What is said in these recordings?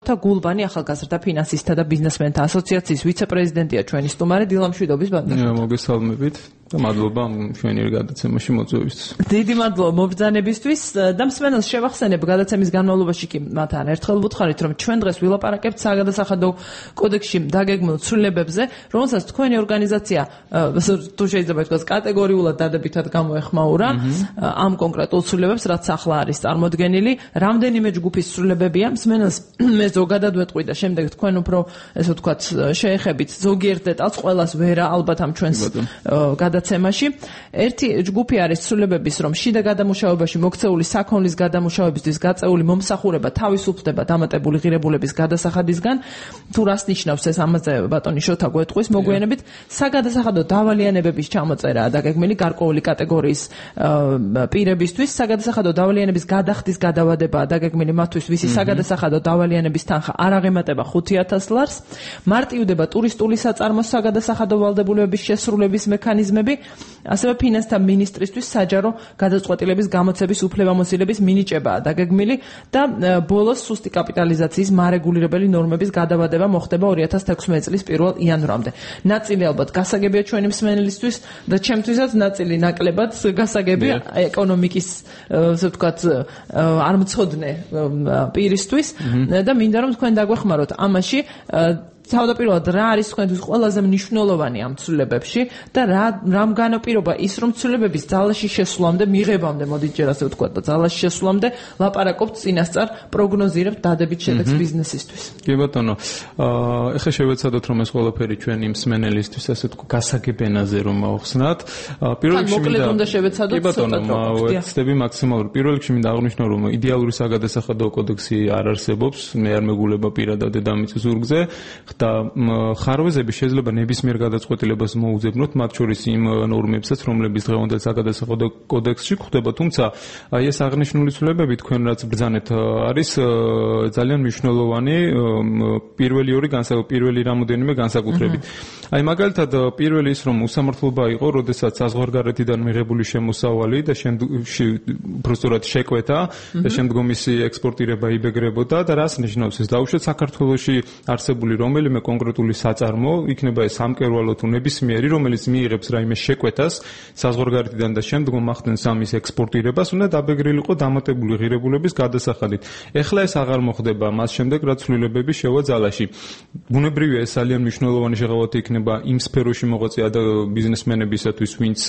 და გულბანი ახალგაზრდა ფინანსისტთა და ბიზნესმენთა ასოციაციის ვიცე-პრეზიდენტია ჩვენი სტუმარი დილამშვიდობის ბანკი. მოგესალმებით და მადლობა ჩვენი გადაცემაში მოწვევისთვის. დიდი მადლობა მობრძანებისთვის და მსმენელს შევახსენებ გადაცემის განმავლობაში კი მათთან ერთხელ ვუთხარით რომ ჩვენ დღეს ვილაპარაკებთ საგადასახადო კოდექსში დაგეგმილ ცვლილებებზე, რომელსაც თქვენი ორგანიზაცია თუ შეიძლება ითქვას კატეგორიულად დადებითად გამოეხმაურა ამ კონკრეტულ ცვლილებებს, რაც ახლა არის წარმოდგენილი. რამდენიმე ჯგუფის ცვლილებებია, მსმენელს მე ზოგადად ვეტყვი და შემდეგ თქვენ უფრო ესე ვთქვათ შეეხებით ზოგიერთ დეტალს, ყველას ვერა ალბათ ამ ჩვენს გადაცემაში. ერთი ჯგუფი არის ცვლილებების, რომ შიდა გადამუშავებაში მოქცეული საქონლის გადამუშავებისთვის გაწეული მომსახურება თავისუფლდება დამატებული ღირებულების გადასახადისგან. თუ რას ნიშნავს ეს, ამაზე ბატონი შოთა გვეტყვის მოგვიანებით. საგადასახადო დავალიანებების ჩამოწერაა დაგეგმილი გარკვეული კატეგორიის პირებისთვის. საგადასახადო დავალიანების გადახდის გადავადებაა დაგეგმილი მათთვის, ვისი საგადასახადო დავალიანების თანხა არ აღემატება 5,000 ლარს. მარტივდება ტურისტული საწარმოს საგადასახადო ვალდებულებების შესრულების მექანიზმები, ასევე ფინანსთა მინისტრისთვის საჯარო გადაწყვეტილების გამოცემის უფლებამოსილების მინიჭებაა დაგეგმილი და ბოლოს სუსტი კაპიტალიზაციის მარეგულირებელი ნორმების გადავადება მოხდება 2016 წლის 1 იანვრამდე. ნაწილი ალბათ გასაგებია ჩვენი მსმენელისთვის და ჩემთვისაც ნაწილი ნაკლებად გასაგებია ეკონომიკის ასე ვთქვათ არ მცოდნე პირისთვის და მინდა რომ თქვენ დაგვეხმაროთ ამაში. თავდაპირველად რა არის თქვენთვის ყველაზე მნიშვნელოვანი ამ ცვლილებებში და რამ განაპირობა ის, რომ ცვლილებების ძალაში შესვლამდე, მიღებამდე, მოდით ჯერ ასე ვთქვათ და ძალაში შესვლამდე ლაპარაკობთ წინასწარ, პროგნოზირებთ დადებით შედეგს ბიზნესისთვის. კი ბატონო, ეხლა შევეცადოთ რომ ეს ყველაფერი ჩვენი მსმენელისთვის ასე ვთქვათ გასაგებენაზე რომ მოახსნათ. პირველ რიგში მინდა უნდა შევეცადოთ ცოტა ვეცდები მაქსიმალურად. პირველ რიგში მინდა აღვნიშნო რომ იდეალური საგადასახადო კოდექსი არ არსებობს, მე არ მეგულება პირადად დედამიწის ზურგზე. და ხარვეზები შეიძლება ნებისმიერ გადაწყვეტილებას მოუძებნოთ, მათ შორის იმ ნორმებსაც, რომლებიც დღევანდელ საგადასახადო კოდექსში გვხვდება, თუმცა აი ეს აღნიშნული ცვლილებები თქვენ რაც ბრძანეთ არის ძალიან მნიშვნელოვანი პირველი რამოდენიმე განსაკუთრებით. აი მაგალითად პირველი ის რომ უსამართლობა იყო, როდესაც საზღვარგარეთიდან მიღებული შემოსავალი და უბრალოდ შეკვეთა და შემდგომ მისი ექსპორტირება იბეგრებოდა და რას ნიშნავს ეს? დაუშვათ საქართველოში არსებული რომელიმე კონკრეტული საწარმო, იქნება ეს სამკერვალო თუ ნებისმიერი, რომელიც მიიღებს რაიმე შეკვეთას საზღვარგარეთიდან და შემდგომ ახდენს ამის ექსპორტირებას, უნდა დაბეგრილიყო დამატებული ღირებულების გადასახადით. ეხლა ეს აღარ მოხდება, მას შემდეგ რაც ცვლილებები შევა ძალაში. ბუნებრივია ეს ძალიან მნიშვნელოვანი შეღავათი იქნება იმ სფეროში მოღვაწე ბიზნესმენებისათვის, ვინც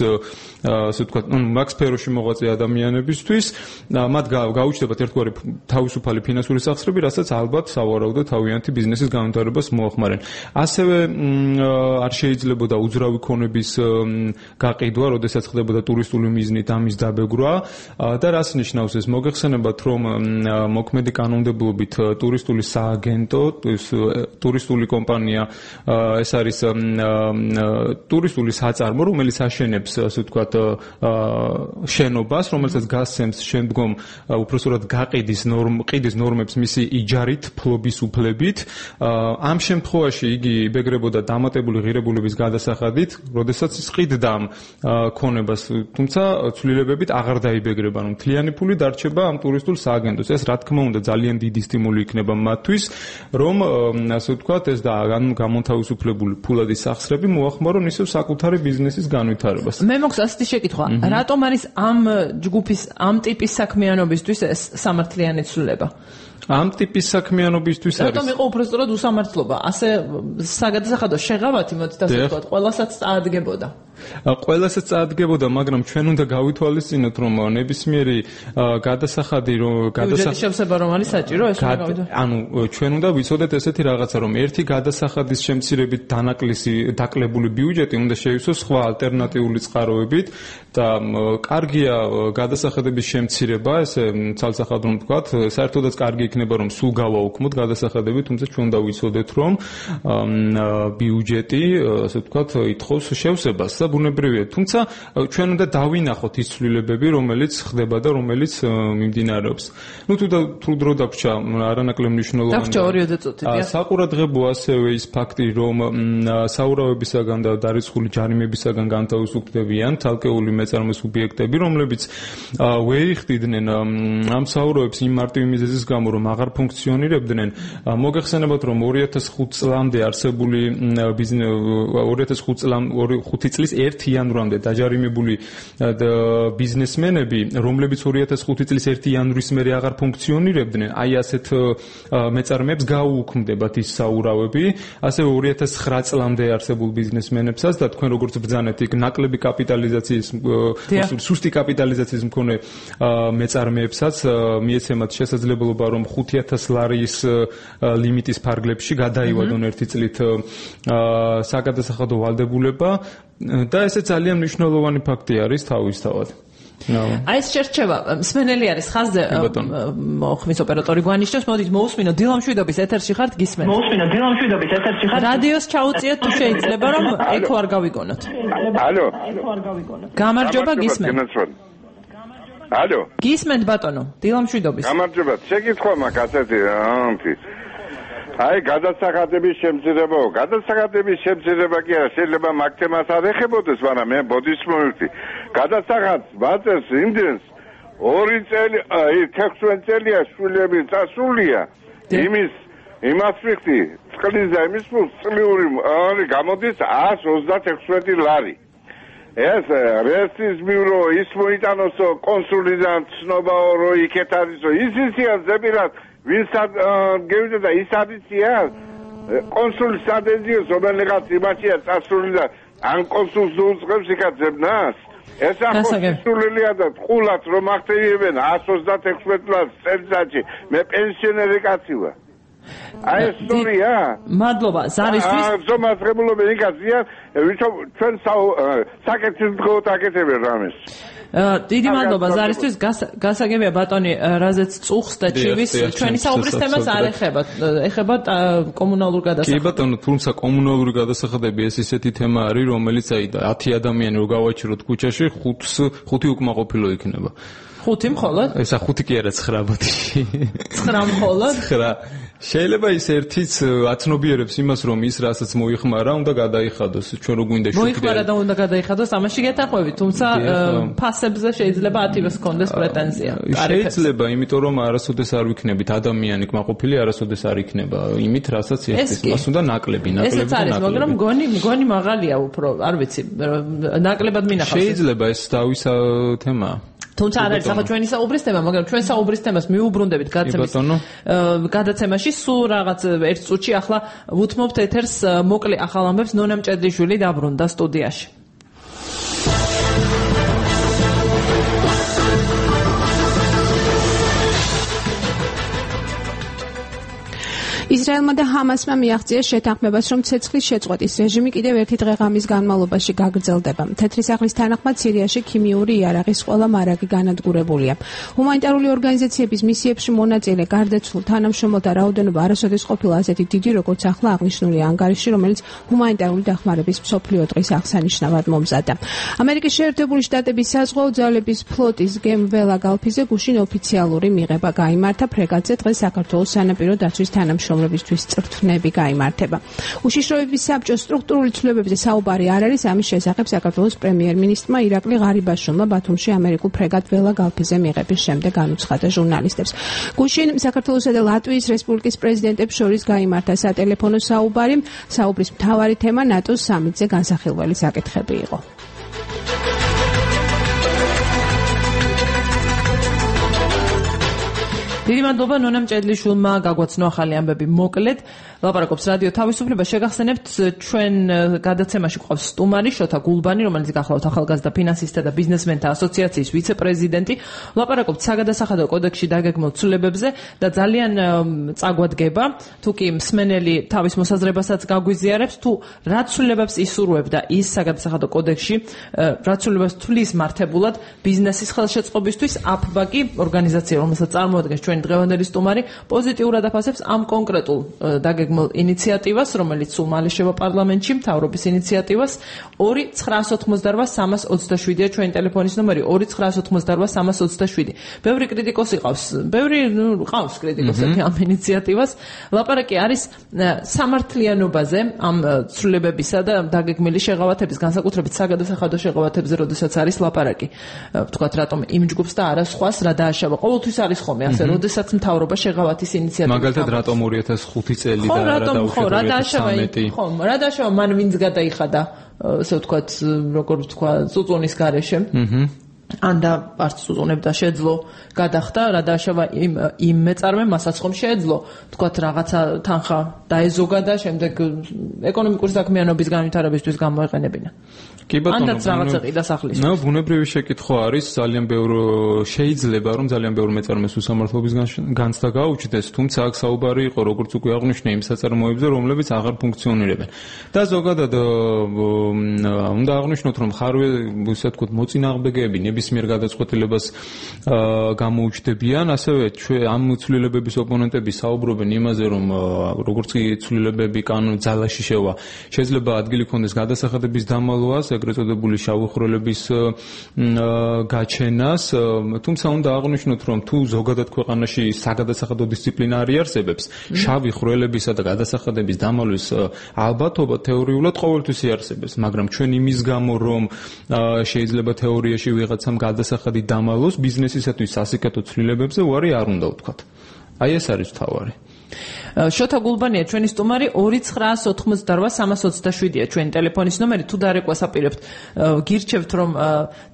ასე ვთქვათ, მაგ სფეროში მოღვაწე ადამიანებისთვის, მათ გაუჩნდებათ ერთგვარი თავისუფალი ფინანსური სახსრები, რასაც ალბათ სავარაუდო თავიანთი ბიზნესის განვითარებას მოახმარენ. ასევე არ შეიძლებოდა უძრავი ქონების გაყიდვა, როდესაც ხდებოდა ტურისტული მიზნით ამის დაბეგრვა და რას ნიშნავს ეს? მოგეხსენებათ, რომ მოქმედი კანონმდებლობით ტურისტული სააგენტო, ტურისტული კომპანია, ეს არის ტურისტული საწარმო, რომელიც აშენებს, ასე ვთქვათ, შენობას, რომელსაც გასცემს შემდგომ უпроსტად გაყიდის ნორმებს მისი იჯარით, ფლობის უფლებით. ამ შემთხვევაში იგი იბეგრებოდა დამატებული ღირებულების გადასახადით, როდესაც ის ყიდდა ქონებას, თუმცა ცვლილებებით აღარ დაიბეგრება, რომ მთლიანი ფული დარჩება ამ ტურისტულ სააგენტოს. ეს რა თქმა უნდა ძალიან დიდი სტიმული იქნება მათთვის, რომ ასე ვთქვათ, ეს და გამონთავისუფლებული ფულადი სახსრები მოახმარონ ისევ საკუთარი ბიზნესის განვითარებას. მე მოხდა ასეთი შეკითხვა, რატომ არის ამ ჯგუფის, ამ ტიპის საქმიანობისთვის ეს სამართლიანი ცვლილება? ამ ტიპის საქმიანობისთვის არის. რატომ იყო უბრალოდ უსამართლობა? ასე საგადასახადო შეღავათი, მოდით ასე ვთქვათ, ყველასაც წაადგებოდა. ყველასაც წაადგებოდა, მაგრამ ჩვენ უნდა გავითვალისწინოთ, რომ ნებისმიერი გადასახადი, ბიუჯეტის შევსება რომ არის საჭირო, ეს უნდა გავიდოთ. ანუ ჩვენ უნდა ვიცოდეთ ესეთი რაღაცა, რომ ერთი გადასახადის შემცირებით დაკლებული ბიუჯეტი უნდა შეივსოს სხვა ალტერნატიული წყაროებით და კარგია გადასახადების შემცირება, ესე ცალსახად რომ ვთქვათ, საერთოდაც კარგი იქნება, რომ სულ გავაუქმოთ გადასახადები, თუმცა ჩვენ უნდა ვიცოდეთ, რომ ბიუჯეტი, ასე ვთქვათ, ითხოვს შევსებას და ბუნებრივია. თუმცა ჩვენ უნდა დავინახოთ ის ცვლილებები, რომელიც ხდება და რომელიც მიმდინარეობს. ნუ თუ დრო დაგვჭა არანაკლებ მნიშვნელოვანია. დაგვჭა 2 წუთი. საყურადღებო ასევე ის ფაქტი, რომ საურავებისაგან და დარიცხული ჯარიმებისაგან განთავისუფლებიან თალკეული მეწარმე სუბიექტები, რომლებიც ვეიხდიდნენ ამ საურავებს იმ მარტივი მიზეზის გამო, რომ აღარ ფუნქციონირებდნენ. მოგეხსენებათ, რომ 2005 წლამდე არსებული 2005 წლის 1 იანვრამდე დაჯარიმებული ბიზნესმენები, რომლებიც 2005 წლის 1 იანვრის მერე აღარ ფუნქციონირებდნენ, აი ასეთ მეწარმეებს გაუუქმდებათ ის საურავები, ასევე 2009 წლამდე არსებულ ბიზნესმენებსაც და თქვენ როგორც ბრძანეთ, იქ ნაკლები კაპიტალიზაციის, სუსტი კაპიტალიზაციის მქონე მეწარმეებსაც მიეცემათ შესაძლებლობა, რომ 5000 ლარის ლიმიტის ფარგლებში გადაივადონ ერთი წლით საგადასახადო ვალდებულება და ესე ძალიან მნიშვნელოვანი ფაქტი არის თავისთავად. აი ეს შერჩევა მსმენელი არის ხაზზე ხმის ოპერატორი გვანიშნავს, მოდით მოусმინო დილამშვიდობის ეთერში ხართ, გისმენთ. რადიოს ჩაუწიოთ თუ შეიძლება, რომ ეკო არ გავიგონოთ. ალო. გამარჯობა, გისმენთ. ალო. გისმენთ ბატონო, დილამშვიდობის. გამარჯობა, შეკითხვა მაქვს ასეთი ამთი. აი გადასახადების შემცირება კი არა, შეიძლება მაგ თემას არ ეხებოდეს, მაგრამ მე ბოდის მოვიხდი. გადასახადს ვაწერს იმდენს 2 წელი, 16 წელია შვილები წასულია. იმას ვიხდი, წყლის და იმის წლიური გამოდის 136 ლარი. ეს რესტის ბიურო ის მოიტანოსო კონსულიდან ცნობაო რო იქეთ არისო ისისია ზებირად ვინსად გევიდა და ის არისია კონსულის ადეზიოს რომელიღაც იმაშია წასული და ან კონსულს უწყებს იქაცებნას ეს ახოსულელია და ყულად რომ ახტევიებენ 136 ლარს წელიწადში მე პენსიონერი კაცი ვარ აი ეს სტორია მადლობა ზარისთვის ზომასღებულობენ იქაცია ვიჩო ჩვენ საკეთილდღეოდ აკეთებენ რამეს დიდი მადლობა ზარისთვის გასაგებია ბატონი რაზეც წუხს და ჩივის ჩვენი საუბრის თემას არ ეხება კომუნალურ გადასახადებს. კი ბატონო, თუმცა კომუნალური გადასახადები ეს ისეთი თემა არის, რომელიც აი 10 ადამიანი რო გავაჩეროთ ქუჩაში, 5 უკმაყოფილო იქნება. 5 მხოლოდ? ესა 5 კი არა 9 ბოდიში. 9 მხოლოდ? 9. შეიძლება ის ერთიც აცნობიერებს იმას, რომ ის რასაც მოიხმარა, უნდა გადაიხადოს. ჩვენ რო გვინდა შუქი. მოიხმარა და უნდა გადაიხადოს, ამაში გეთახვევით, თუმცა ფასებზე შეიძლება 10-ს კონდეს პრეტენზია. შეიძლება, იმიტომ რომ არასოდეს არ ვიქნებით ადამიანი კმაყოფილი, არასოდეს არ იქნება იმით, რასაც ერთის. მას უნდა ნაკლები. ესეც არის, მაგრამ მგონი მაღალია უფრო, არ ვიცი, ნაკლებად მინახავს. შეიძლება ეს დავისა თემაა. თუმცა არ არის ახლა ჩვენი საუბრის თემა, მაგრამ ჩვენ საუბრის თემას მიუბრუნდებით გადაცემაში სულ რაღაც 1 წუთში ახლა ვუთმობთ ეთერს მოკლე ახალ ამბებს ნონა მჭედლიშვილი დაბრუნდა სტუდიაში. ისრაელმა და ჰამასმა მიაღწიეს შეთანხმებას, რომ ცეცხლის შეწყვეტის რეჟიმი კიდევ ერთი დღე-ღამის განმავლობაში გაგრძელდება. თეთრი სახლის თანახმად სირიაში ქიმიური იარაღის ყველა მარაგი განადგურებულია. ჰუმანიტარული ორგანიზაციების მისიებში მონაწილე გარდაცვლილ თანამშრომელთა რაოდენობა არასოდეს ყოფილა ასეთი დიდი, როგორც ახლა აღნიშნული ანგარიში, რომელიც ჰუმანიტარული დახმარების მსოფლიო დღის აღსანიშნავად მომზადდა. ამერიკის შეერთებული შტატების საზღვაო ძალების ფლოტის გემ ველა გალფიზე გუშინ ოფიციალური მიღება გაიმართა ფრეგატზე დღეს საქართველოს სანაპირო დაცვის თანამშრომლებისთვის წრთვნები გაიმართება. უშიშროების საბჭოს სტრუქტურული ცვლილებებზე საუბარი არ არის, ამის შესახებ საქართველოს პრემიერ-მინისტრმა ირაკლი ღარიბაშვილმა ბათუმში ამერიკულ ფრეგატ ველა გალფიზე მიღების შემდეგ განუცხადა ჟურნალისტებს. გუშინ საქართველოსა და ლატვიის რესპუბლიკის პრეზიდენტებს შორის გაიმართა სატელეფონო საუბარი. საუბრის მთავარი თემა ნატოს სამიტზე განსახილველი საკითხები იყო. დიდი მადლობა ნონა მჭედლიშვილმა გაგვაცნო ახალი ამბები მოკლედ. ლაპარაკობს რადიო თავისუფლება. შეგახსენებთ ჩვენ გადაცემაში გვყავს სტუმარი შოთა გულბანი, რომელიც გახლავთ ახალგაზრდა ფინანსისტთა და ბიზნესმენთა ასოციაციის ვიცე-პრეზიდენტი. ლაპარაკობთ საგადასახადო კოდექსში დაგეგმილ ცვლილებებზე და ძალიან წაგვადგება, თუ კი მსმენელი თავის მოსაზრებასაც გაგვიზიარებს, თუ რა ცვლილებებს ისურვებდა ის საგადასახადო კოდექსში, რა ცვლილებებს თulis მართებულად ბიზნესის ხელშეწყობისთვის აფბაკი ორგანიზაცია, რომელსაც წარმოადგენს ჩვენი ჩვენი დღევანდელი სტუმარი პოზიტიურად აფასებს ამ კონკრეტულ დაგეგმილ ინიციატივას, რომელიც სულ მალე შევა პარლამენტში, მთავრობის ინიციატივას 2988327-ია ჩვენი ტელეფონის ნომერი 2988327. ბევრი კრიტიკოსი ყავს, ყავს კრიტიკოსები ამ ინიციატივას. ლაპარაკი არის სამართლიანობაზე, ამ ცვლილებებისა და დაგეგმილი შეღავათების, განსაკუთრებით საგადასახადო შეღავათებზე, როდესაც არის ლაპარაკი. ვთქვათ, რატომ იმ ჯგუფს და არა სხვას რა დააშავა. ყოველთვის არის ხოლმე ასე, როდესაც მთავრობა შეღავათის ინიციატივას. მაგალითად, რატომ 2005 წელი და რა დაუშვა 2013. ხო, რა დააშავა მან ვინც გადაიხადა, ასე ვთქვათ, როგორ ვთქვა, წუწუნის გარეშე. ან და არც უწუნებდა შეძლო გადახდა რა დააშავა იმ მეწარმე მასაც ხომ შეეძლო თქვათ რაღაცა თანხა დაეზოგა და შემდეგ ეკონომიკური საქმიანობის განვითარებისთვის გამოეყენებინა. კი ბატონო, ანდაც რაღაცა ყიდა სახლის. ნუ ბუნებრივი შეკითხვა არის, ძალიან ბევრი შეიძლება რომ ძალიან ბევრი მეწარმეს უსამართლობის განცდა გაუჩნდეს, თუმცა აქ საუბარი იყო როგორც უკვე აღნიშნე იმ საწარმოებზე, რომლებიც აღარ ფუნქციონირებენ. და ზოგადად უნდა აღნიშნოთ, რომ ხარვე, ისე ვთქვათ, მოწინააღმდეგეები ნებისმიერ გადაწყვეტილებას გამოუჩნდებიან, ასევე ამ ცვლილებების ოპონენტები საუბრობენ იმაზე, რომ როგორც კი ცვლილებები კანონის ძალაში შევა, შეიძლება ადგილი ჰქონდეს გადასახადების დამალვას, ეგრეთ წოდებული შავი ხვრელების გაჩენას, თუმცა უნდა აღნიშნოთ, რომ თუ ზოგადად ქვეყანაში საგადასახადო დისციპლინა არ იარსებებს, შავი ხვრელებისა და გადასახადების დამალვის ალბათობა თეორიულად ყოველთვის იარსებებს, მაგრამ ჩვენ იმის გამო, რომ შეიძლება თეორიაში ვიღაცამ გადასახადი დამალოს, ბიზნესისათვის სასიკეთო ცვლილებებზე უარი არ უნდა ვთქვათ. აი ეს არის თავარი. შოთა გულბანია ჩვენი სტუმარი 2988327-ია ჩვენი ტელეფონის ნომერი. თუ დარეკვას აპირებთ, გირჩევთ რომ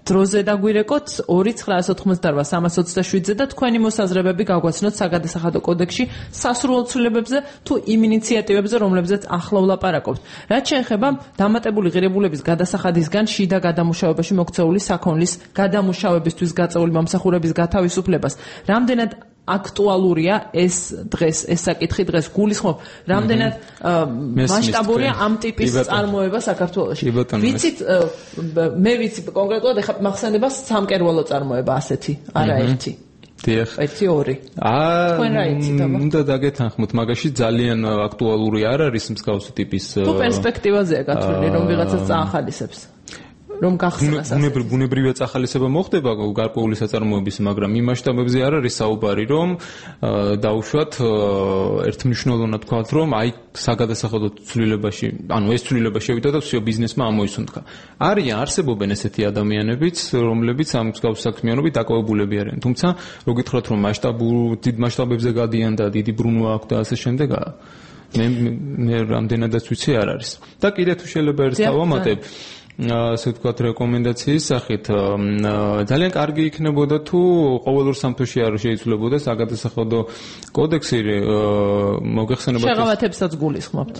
დროზე დაგვირეკოთ 2988327-ზე და თქვენი მოსაზრებები გაგვაცნოთ საგადასახადო კოდექსში სასურველ ცვლილებებზე თუ იმ ინიციატივებზე, რომლებზეც ახლა ვლაპარაკობთ. რაც შეეხება დამატებული ღირებულების გადასახადისგან შიდა გადამუშავებაში მოქცეული საქონლის გადამუშავებისთვის გაწეული მომსახურების გათავისუფლებას, რამდენად აქტუალურია ეს დღეს, ეს საკითხი დღეს გულისხმობ, რამდენად მასშტაბურია ამ ტიპის წარმოება საქართველოში. ვიცით, მე ვიცი კონკრეტულად, ეხლა მახსენდება სამკერვალო წარმოება ასეთი, არა ერთი. დიახ. ერთი ორი. თქვენ რა იცით აბა? უნდა დაგეთანხმოთ, მაგაში ძალიან აქტუალური არ არის მსგავსი ტიპის თუ პერსპექტივაზეა გათვლილი, რომ ვიღაცას წაახალისებს. რომ გახსნას ბუნებრივია წახალისება მოხდება გარკვეული საწარმოების, მაგრამ იმ მასშტაბებზე არ არის საუბარი, რომ დაუშვათ ერთმნიშვნელოვნად თქვათ, რომ აი საგადასახადო ცვლილებაში, ანუ ეს ცვლილება შევიდა და всё ბიზნესმა ამოისუნთქა. არსებობენ ესეთი ადამიანებიც, რომლებიც ამ მსგავს საქმიანობით დაკავებულები არიან. თუმცა, რო გითხრათ, რომ დიდ მასშტაბებზე გადიან და დიდი ბრუნვა აქვს და ასე შემდეგ, მე რამდენადაც ვიცი არ არის. და კიდე თუ შეიძლება ერთ დავამატებ, ასე ვთქვათ, რეკომენდაციის სახით, ძალიან კარგი იქნებოდა თუ ყოველ ორ სამთოში არ შეიცვლებოდა საგადასახადო კოდექსი, მოგეხსენება შეღავათებსაც გულისხმობთ.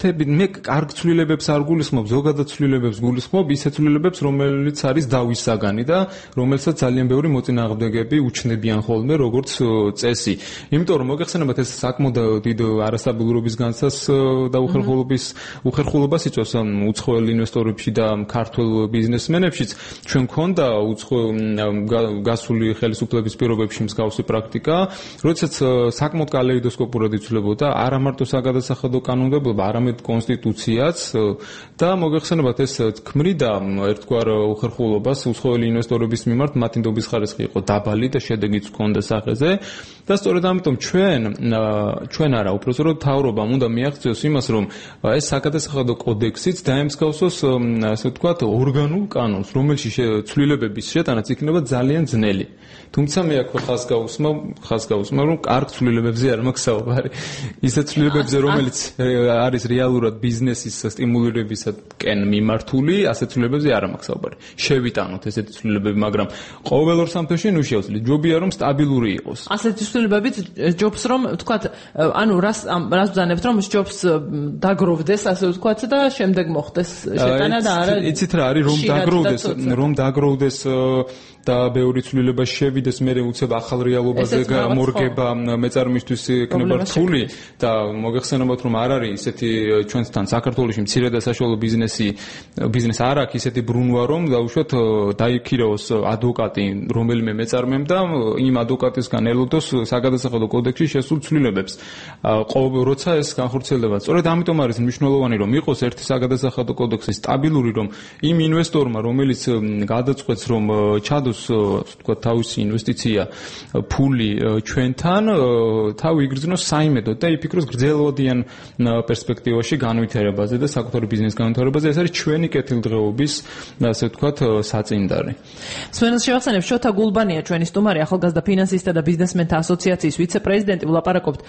მე კარგ ცვლილებებს არ გულისხმობ, ზოგადად ცვლილებებს გულისხმობ, ისე ცვლილებებს, რომელიც არის დავის საგანი და რომელსაც ძალიან ბევრი მოწინააღმდეგეები უჩნდებიან ხოლმე როგორც წესი. იმიტომ რომ მოგეხსენებათ, ეს საკმაოდ დიდ არასტაბილურობის განცდას და უხერხულობას იწვევს უცხოელ ინვესტორებში და ქართულ ბიზნესმენებშიც. ჩვენ გქონდა გასული ხელისუფლების პირობებში მსგავსი პრაქტიკა, როდესაც საკმაოდ კალეიდოსკოპურად იცვლებოდა არა მარტო საგადასახადო კანონმდებლობა, არამედ კონსტიტუციაც და მოგეხსენებათ, ეს ქმნიდა ერთგვარ უხერხულობას უცხოელი ინვესტორების მიმართ, მათი ნდობის ხარისხი იყო დაბალი და შედეგიც ჰქონდა სახეზე და სწორედ ამიტომ ჩვენ არა, უпростоრო მთავრობამ უნდა მიაღწიოს იმას, რომ ეს საგადასახადო კოდექსიც დაემსგავსოს, ასე ვთქვათ, ორგანულ კანონს, რომელშიც ცვლილებების შეტანაც იქნება ძალიან ძნელი. თუმცა მე აქ ხას გავუსმა, რომ კარგ ცვლილებებზე არ მაქვს საუბარი. ისეთ ცვლილებებზე, რომელიც არის რეალურად ბიზნესის სტიმულირებისაკენ მიმართული, ასეთ ცვლილებებზე არ მაქვს საუბარი. შევიტანოთ ესეთი ცვლილებები, მაგრამ ყოველ ორ სამთოში ნუ შევძლით. ჯობია რომ სტაბილური იყოს. ასეთი ცვლილებებით ჯობს რომ ვთქვათ, ანუ რას ბრძანებთ, რომ ჯობს დაგროვდეს, ასე ვთქვათ და შემდეგ მოხდეს შეტანა და არა. იცით რა არის, რომ დაგროვდეს და ბევრი ცვლილება შევიდეს, მე უცებ ახალ რეალობაზე გამორგება მეწარმისთვის იქნება რთული და მოგეხსენებათ, რომ არ არის ესეთი ჩვენთან საქართველოში მცირე და საშუალო ბიზნეს არ აქვს ისეთი ბრუნვა, რომ დაუშვათ დაიქირაოს ადვოკატი რომელიმე მეწარმემ და იმ ადვოკატისგან ელოდოს საგადასახადო კოდექსში შესულ ცვლილებებს. როცა ეს განხორციელდება, სწორედ ამიტომ არის მნიშვნელოვანი, რომ იყოს ერთი საგადასახადო კოდექსი სტაბილური, რომ იმ ინვესტორმა, რომელიც გადაწყვეტს, რომ ჩადოს, თქვა, თავისი ინვესტიცია ფული ჩვენთან, თავი იგრძნოს საიმედოდ და იფიქროს გრძელვადიან პერსპექტივაში განვითარებაზე და საკუთარი ბიზნეს განვითარებაზე. ეს არის ჩვენი კეთილდღეობის, ასე ვთქვათ, საწინდარი. სვენელს შევახსენებ, შოთა გულბანია ჩვენი სტუმარი, ახალგაზრდა ფინანსისტთა და ბიზნესმენთა ასოციაციის ვიცე-პრეზიდენტი. ვლაპარაკობთ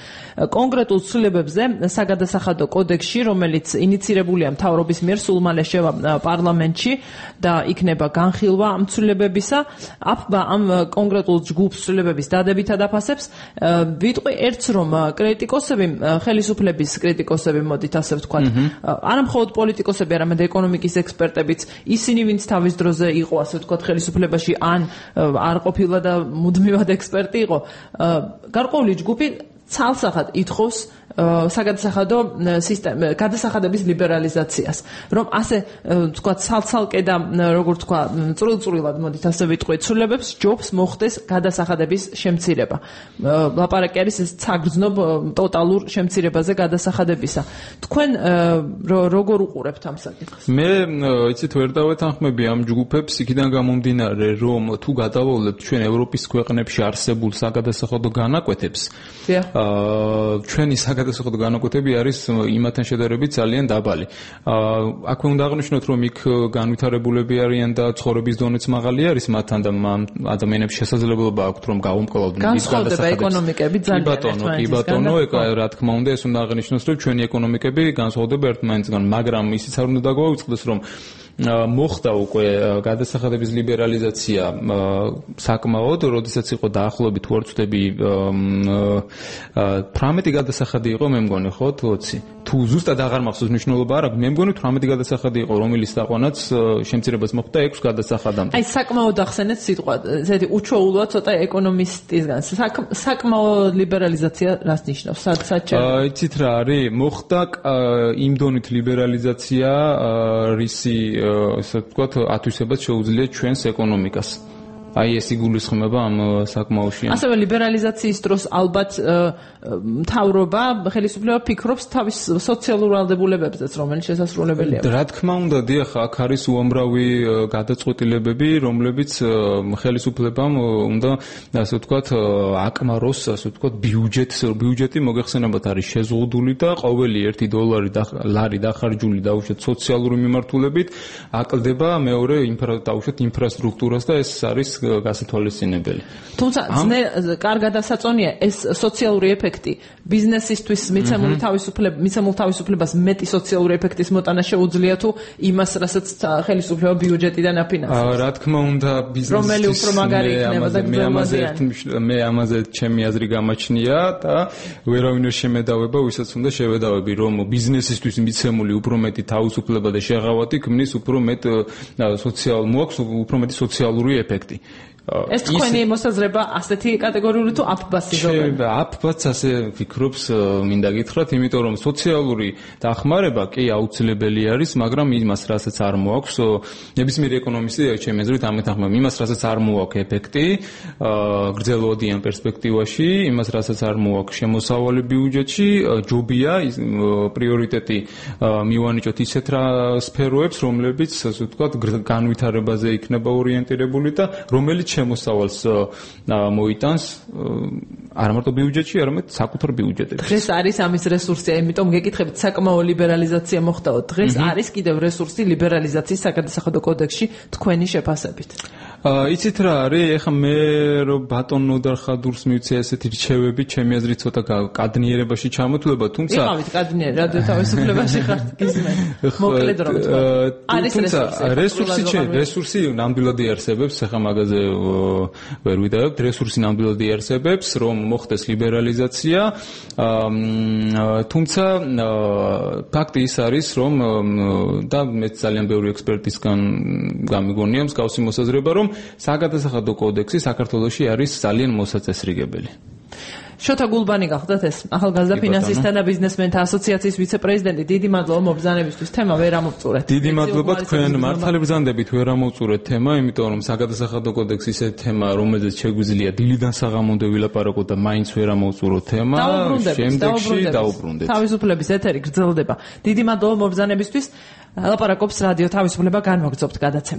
კონკრეტულ ცვლილებებზე საგადასახადო კოდექსში, რომელიც ინიცირებულია მთავრობის მიერ, სულ მალე შევა პარლამენტში და იქნება განხილვა ამ ცვლილებებისა. ამ კონკრეტულ ჯგუფ ცვლილებების დადებითად აფასებს. ვიტყვი ერთს, რომ კრიტიკოსები, ხელისუფლების კრიტიკოსები, მოდით ასე ვთქვათ, არა მხოლოდ პოლიტიკოსები, არამედ ეკონომიკის ექსპერტებიც, ისინი, ვინც თავის დროზე იყო, ასე ვთქვათ, ხელისუფლებაში ან არ ყოფილა და მუდმივად ექსპერტი იყო, გარკვეული ჯგუფი ცალსახად ითხოვს საგადასახადო გადასახადების ლიბერალიზაციას, რომ ასე თქვა ცალცალკე და როგორ თქვა წვრილ-წვრილად მოდით ასე ვიტყვი ცვლილებებს ჯობს მოხდეს გადასახადების შემცირება. ლაპარაკი არის ეს საგრძნობ ტოტალურ შემცირებაზე გადასახადებისა. თქვენ როგორ უყურებთ ამ საკითხს? მე იცით ვერ დავეთანხმები ამ ჯგუფებს იქიდან გამომდინარე, რომ თუ გადავავლებთ ჩვენ ევროპის ქვეყნებში არსებულ საგადასახადო განაკვეთებს, ჩვენი საგადასახადო განაკვეთები არის იმათთან შედარებით ძალიან დაბალი. აქვე უნდა აღნიშნოთ, რომ იქ განვითარებულები არიან და ცხოვრების დონეც მაღალი არის მათთან და ადამიანებს შესაძლებლობა აქვთ, რომ გაუმკლავდნენ ის გადასახადებს. განსხვავდება ეკონომიკები ძალიან ერთმანეთისგან. კი ბატონო, რა თქმა უნდა, ეს უნდა აღნიშნოს, რომ ჩვენი ეკონომიკები განსხვავდება ერთმანეთისგან, მაგრამ ისიც არ უნდა დაგვაუწყდეს, რომ მოხდა უკვე გადასახადების ლიბერალიზაცია საკმაოდ, როდესაც იყო დაახლოებით თუ არ ვცდები 18 გადასახადი იყო, მე მგონი, ხო, 20. თუ ზუსტად აღარ მახსოვს მნიშვნელობა არ აქვს, მე მგონი 18 გადასახადი იყო, რომელიც დაყვანაც შემცირებას მოხდა 6 გადასახადამდე. აი, საკმაოდ ახსენეთ სიტყვა, ესეთი უჩვეულოა ცოტა ეკონომისტისგან. საკმაოდ ლიბერალიზაცია რას ნიშნავს? სად იცით რა არის? მოხდა იმ დონით ლიბერალიზაცია, რისი ასე ვთქვათ, ათვისებას შეუძლია ჩვენს ეკონომიკას. აი ეს იგულისხმება ამ საკმაოში. ასევე ლიბერალიზაციის დროს ალბათ მთავრობა, ხელისუფლება ფიქრობს თავის სოციალურ ვალდებულებებზეც, რომელიც შესასრულებელია. რა თქმა უნდა, დიახ, აქ არის უამრავი გადაწყვეტილებები, რომლებიც ხელისუფლებამ უნდა, ასე ვთქვათ, აკმაროს, ასე ვთქვათ, ბიუჯეტი მოგეხსენებათ არის შეზღუდული და ყოველი $1 დახარჯული დაუშვათ სოციალური მიმართულებით აკლდება მეორე ინფრასტრუქტურას და ეს არის გასათვალისწინებელი. თუმცა კარგად ასაწონია ეს სოციალური ეფექტი ბიზნესისთვის მიცემული თავისუფლებას მეტი სოციალური ეფექტის მოტანა შეუძლია თუ იმას, რასაც ხელისუფლება ბიუჯეტიდან აფინანსებს. რა თქმა უნდა, რომელი უფრო მაგარი იქნება და მე ამაზე ჩემი აზრი გამაჩნია და ვერავინ ვერ შემედავება, ვისაც უნდა შევედავები, რომ ბიზნესისთვის მიცემული უფრო მეტი თავისუფლება და შეღავათი ქმნის უფრო მეტ უფრო მეტი სოციალური ეფექტი. ეს თქვენი მოსაზრება ასეთი კატეგორიული თუ აფბასი ზოგადად? აფბაც ასე ფიქრობს, მინდა გითხრათ, იმიტომ რომ სოციალური დახმარება კი აუცილებელი არის, მაგრამ იმას, რასაც არ მოაქვს, ნებისმიერი ეკონომისტი, ჩემი აზრით, ამეთანხმება, იმას, რასაც არ მოაქვს ეფექტი, გრძელვადიან პერსპექტივაში, იმას, რასაც არ მოაქვს შემოსავალი ბიუჯეტში, ჯობია პრიორიტეტი მივანიჭოთ ისეთ სფეროებს, რომლებიც, ასე ვთქვათ, განვითარებაზე იქნება ორიენტირებული და რომელიც შემოსავალს მოიტანს არა მარტო ბიუჯეტში, არამედ საკუთარ ბიუჯეტებში. დღეს არის ამის რესურსი, იმიტომ გეკითხებით, საკმაო ლიბერალიზაცია მოხდაო. დღეს არის კიდევ რესურსი ლიბერალიზაციის საგადასახადო კოდექსში თქვენი შეფასებით. იცით რა არის, ეხლა მე რომ ბატონ ნოდარ ხადურს მივცე ესეთი რჩევები, ჩემი აზრით ცოტა კადნიერებაში ჩამოთვლება, თუმცა იყავით კადნიერი, რადიო თავისუფლებაში ხართ გიზმენ. მოკლედ რომ თქვა. არის რესურსი ნამდვილად იარსებებს, ეხლა მაგაზე ვერ ვიდავებთ, რესურსი ნამდვილად იარსებებს, რომ მოხდეს ლიბერალიზაცია, თუმცა ფაქტი ის არის, რომ და მე ძალიან ბევრი ექსპერტისგან გამიგონია მსგავსი მოსაზრება, რომ საგადასახადო კოდექსი საქართველოში არის ძალიან მოსაწესრიგებელი. შოთა გულბანი გახდათ ეს ახალგაზრდა ფინანსისტთა და ბიზნესმენთა ასოციაციის ვიცე-პრეზიდენტი. დიდი მადლობა მობრძანებისთვის. თემა ვერ ამოვწურეთ. დიდი მადლობა თქვენ მართალი ბრძანდებით ვერ ამოვწურეთ თემა, იმიტომ რომ საგადასახადო კოდექსი ისე თემა, რომელზეც შეგვიძლია დილიდან საღამომდე ვილაპარაკოთ და მაინც ვერ ამოვწუროთ თემა. შემდეგში დაუბრუნდეთ. თავისუფლების ეთერი გრძელდება. დიდი მადლობა მობრძანებისთვის. ლაპარაკობს რადიო თავისუფლება განვაგრძობთ გადაცემა.